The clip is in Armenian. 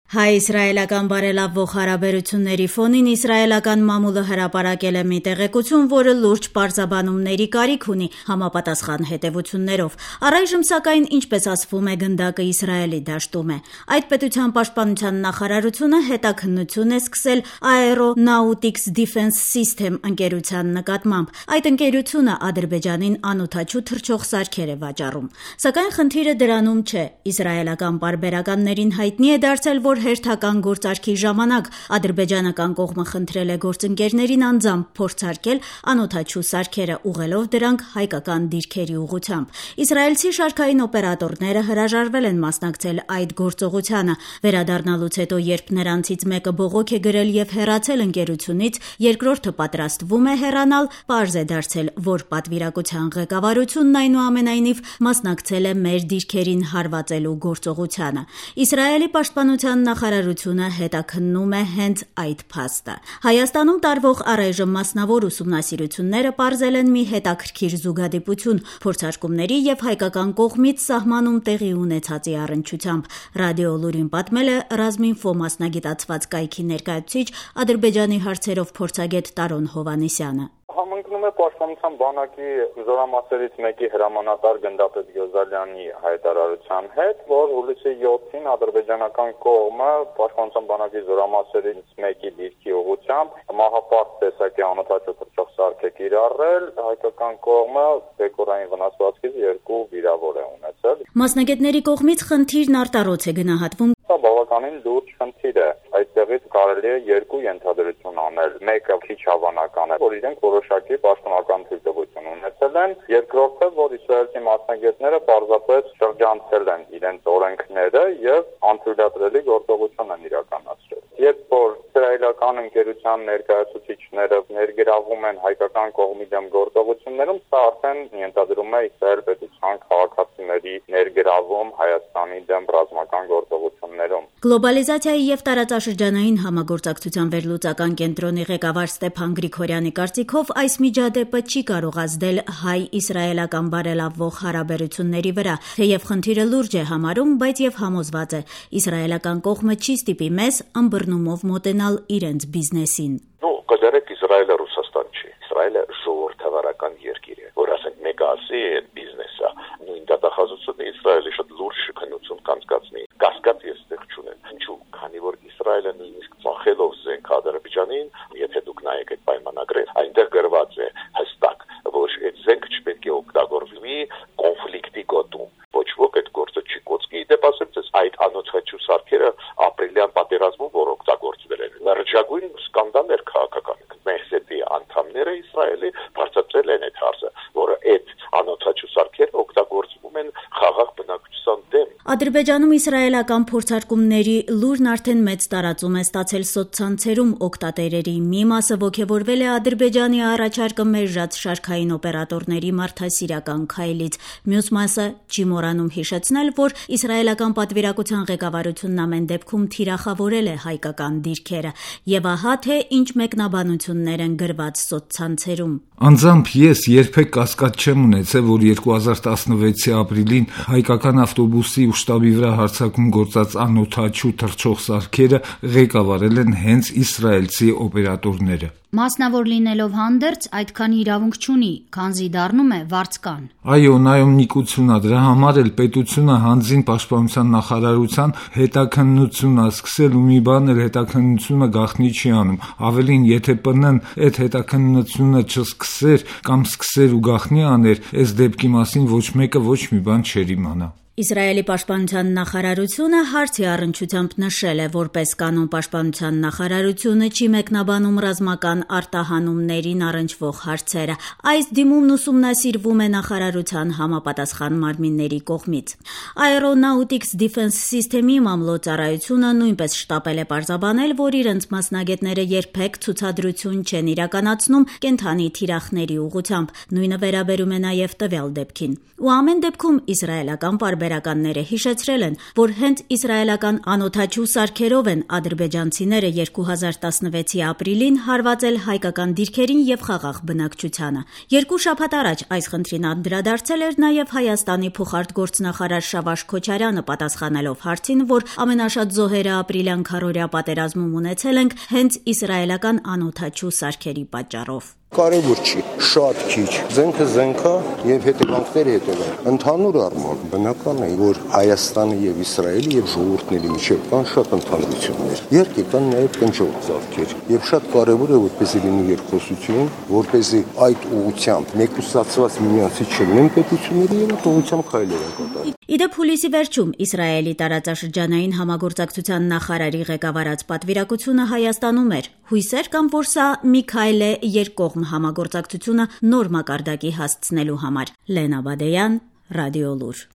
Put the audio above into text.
Հայ-իսրայելական բարելավվող հարաբերությունների ֆոնին իսրայելական մամուլը հրապարակել է մի տեղեկություն, որը լուրջ պարզաբանումների կարիք ունի համապատասխան հետևություններով։ Առայժմ սակայն, ինչպես ասվում է, գնդակը Իսրայելի դաշտում է։ Այդ պետության պաշտպանության նախարարությունը հետաքննություն է սկսել Aeronautics Defense System ընկերության նկատմամբ։ Այդ ընկերությունը Ադրբեջանին անօդաչու թռչող սարքեր է վաճառում։ Սակայն խնդիրը դրանում չէ։ Իսրայելական պարբերականներին հայտնի է դարձել, որ հերթական գործարքի ժամանակ ադրբեջանական կողմը խնդրել է գործընկերներին անձամբ փորձարկել անօդաչու սարքերը, ուղղելով դրանք հայկական դիրքերի ուղղությամբ։ Իսրայելցի շարքային օպերատորները հրաժարվել են մասնակցել այդ գործողությանը։ Վերադառնալուց հետո, երբ նրանցից մեկը բողոք է գրել եւ հեռացել ընկերությունից, երկրորդը պատրաստվում է հեռանալ, պարզ է դարձել, որ պատվիրակության ղեկավարությունն այնուամենայնիվ մասնակցել է մեր դիրքերին հարվածելու գործողությանը։ Իսրայելի պաշտպանության նախարարությունը հետաքննում է հենց այդ փաստը։ Հայաստանում տարվող առայժմ մասնավոր ուսումնասիրությունները պարզել են մի հետաքրքիր զուգադիպություն փորձարկումների եւ հայկական կողմից սահմանում տեղի ունեցածի առնչությամբ։ Ռադիո Լուրին պատմել է Ռազմինֆո մասնագիտացված կայքի ներկայացուցիչ Ադրբեջանի հարցերով փորձագետ Տարոն Հովհաննիսյանը։ Համընկնում է պաշտպանության բանակի զորամասերից մեկի հրամանատար գնդապետ Գյոզալյանի հայտարարության հետ, որ հուլիսի 7-ին ադրբեջանական կողմը պաշտպանության բանակի զորամասերից մեկի դիրքի ուղղությամբ մահապարտ տեսակի անօդաչու թռչող սարք է կիրառել, հայկական կողմը բեկորային վնասվածքից 2 վիրավոր է ունեցել։ Մասնագետների կողմից խնդիրն արտառոց է գնահատվում։ Սա բավականին լուրջ խնդիր է։ Այդտեղից կարելի է 2 ենթադրություն անել։ Մեկը քիչ հավանական է, որ իրենք որոշակի պաշտոնական թույլտվություն ունեցել են, երկրորդը, որ իսրայելցի մասնագետները պարզապես շրջանցել են իրենց օրենքները եւ անթույլատրելի գործողություն են իրականացրել։ Երբ որ իսրայելական ընկերության ներկայացուցիչները ներգրավում են հայկական կողմի դեմ գործողություններում, սա արդեն ենթադրում է Իսրայել պետության քաղաքացիների ներգրավում Հայաստանի դեմ ռազմական գործողություններում։ Գլոբալիզացիայի եւ տարածաշրջանային համագործակցության վերլուծական կենտրոնի ղեկավար Ստեփան Գրիգորյանի կարծիքով այս միջադեպը չի կարող ազդել հայ-իսրայելական բարելավվող հարաբերությունների վրա, թեև խնդիրը լուրջ է համարում, բայց եւ համոզված է, իսրայելական կողմը չի ստիպի մեզ ըմբռնումով մոտենալ իրենց բիզնեսին։ Կդերեք Իսրայելը Ռուսաստան չի։ Իսրայելը ժողովրդավարական երկիր է, որ ասենք մեկը ասի այդ բիզնեսը, նույն դատախազությունը Իսրայելի շատ լուրջ քննություն կանցկացնի։ Կասկած ես ստեղ չունեմ։ Ինչու՞, քանի որ Իսրայելը նույնիսկ ծախելով զենք Ադրբեջանին, եթե դուք նայեք այդ պայմանագրերը, այնտեղ գրված է հստակ, որ այդ զենքը չպետք է օգտագործվի կոնֆլիկտի գոտում։ Ոչ ոք այդ գործը չի կոչի։ Դե ասեմ, այդ անօդաչու սարքերը ապրիլյան պատերազմում որ օգտագործվել են, լրջագույն սկանդալ էր քաղաքական։ Մեսետի անդամները Իսրայելի բարձրացրել են այդ հարցը, որը այդ անօդաչու սարքերը օգտագործվում են խաղաղ բնակչության դեմ։ Ադրբեջանում իսրայելական փորձարկումների լուրն արդեն մեծ տարածում է ստացել սոցցանցերում օգտատերերի մի մասը ոգևորվել է Ադրբեջանի առաջարկը մերժած շարքային օպերատորների մարդասիրական քայլից։ Մյուս մասը չի մոռանում հիշեցնել, որ իսրայելական պատվիրակության ղեկավարությունն ամեն դեպքում թիրախավորել է հայկական դիրքերը, եւ ահա թե ինչ մեկնաբանություններ են գրված սոցցանցերում։ Անձամբ ես երբեք կասկած չեմ ունեցել, որ 2016-ի ապրիլին հայկական ավտոբուսի ու շտաբի վրա հարձակում գործած անօդաչու թռչող սարքերը ղեկավարել են հենց իսրայելցի օպերատորները։ Մասնավոր լինելով հանդերձ այդքան իրավունք չունի, քանզի դառնում է վարձկան։ Այո, նայումնիկություն ա, դրա համար էլ պետությունը հանձին պաշտպանության նախարարության հետաքննություն ա սկսել ու մի բան էլ հետաքննությունը գաղտնի չի անում։ Ավելին, եթե ՊՆ-ն այդ հետաքննությունը չսկսեր կամ սկսեր ու գաղտնի աներ, այս դեպքի մասին ոչ մեկը ոչ մի բան չէր իմանա։ Իսրայելի պաշտպանության նախարարությունը հարցի առնչությամբ նշել է, որպես կանոն պաշտպանության նախարարությունը չի մեկնաբանում ռազմական արտահանումներին առնչվող հարցերը։ Այս դիմումն ուսումնասիրվում է նախարարության համապատասխան մարմինների կողմից։ Aeronautics Defense System-ի մամլոյցարայությունը նույնպես շտապել է պարզաբանել, որ իրենց մասնագետները երբեք ցուցադրություն չեն իրականացնում կենդանի թիրախների ուղղությամբ։ Նույնը վերաբերում է նաև տվյալ դեպքին։ Ու ամեն դեպքում իսրայելական պարբերական ստվերականները հիշեցրել են, որ հենց իսրայելական անօդաչու սարքերով են ադրբեջանցիները 2016-ի ապրիլին հարվածել հայկական դիրքերին եւ խաղաղ բնակչությանը։ 2 շաբաթ առաջ այս խնդրին անդրադարձել էր նաեւ Հայաստանի փոխարտգործնախարար Շավարժ Քոչարյանը, պատասխանելով հարցին, որ ամենաշատ զոհերը ապրիլյան քառօրյա պատերազմում ունեցել ենք հենց իսրայելական անօդաչու սարքերի պատճառով։ Կարևոր չի, շատ քիչ, զենքը զենքա եւ հետևանքները հետևանք։ Ընդհանուր առմամբ բնական է, որ Հայաստանը եւ Իսրայելը եւ ժողովուրդների միջեւ կան շատ ընդհանրություններ։ Երկի կան նաեւ կնճող ծաղկեր եւ շատ կարևոր է, որպեսզի լինի երկխոսություն, որպեսզի այդ ուղղությամբ մեկուսացված միմյանցից չլինեն պետությունները եւ այդ ուղղությամբ քայլեր են կատարվում։ Իդեպ հուլիսի վերջում Իսրայելի տարածաշրջանային համագործակցության նախարարի ղեկավարած պատվիրակությունը Հայաստանում էր։ Հույսեր կան, որ սա մի քայլ է երկկողմ համագործակցությունը նոր մակարդակի հասցնելու համար։ Լենա Բադեյան, Ռադիոլուր։